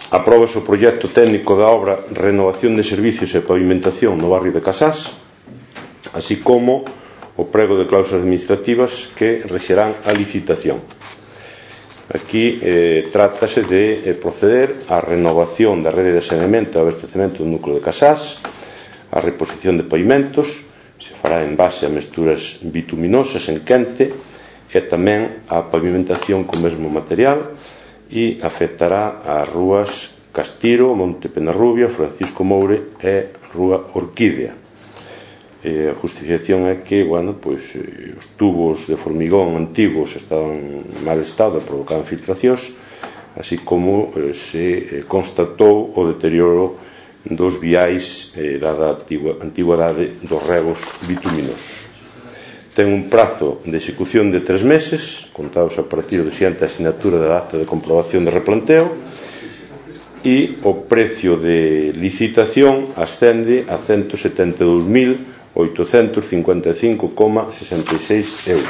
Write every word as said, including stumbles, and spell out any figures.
Apróbase o proxecto técnico da obra Renovación de Servicios e Pavimentación no barrio de Casás, así como o prego de cláusulas administrativas que rexerán a licitación. Aquí eh, trátase de eh, proceder á renovación da rede de saneamento e abastecemento do núcleo de Casás, a reposición de pavimentos, se fará en base a mesturas bituminosas en quente, e tamén a pavimentación con mesmo material, e afectará as rúas Castiro, Monte Penarrubia, Francisco Moure e Rúa Orquídea. E a justificación é que, bueno, pois, eh, os tubos de formigón antigos estaban en mal estado e provocaban filtracións, así como eh, se eh, constatou o deterioro dos viais eh, dada a antigüedade dos regos bituminosos. Ten un prazo de execución de tres meses, contados a partir do siguiente asinatura da acta de comprobación de replanteo, e o precio de licitación ascende a ciento setenta e dous mil oitocentos cincuenta e cinco coma sesenta e seis euros.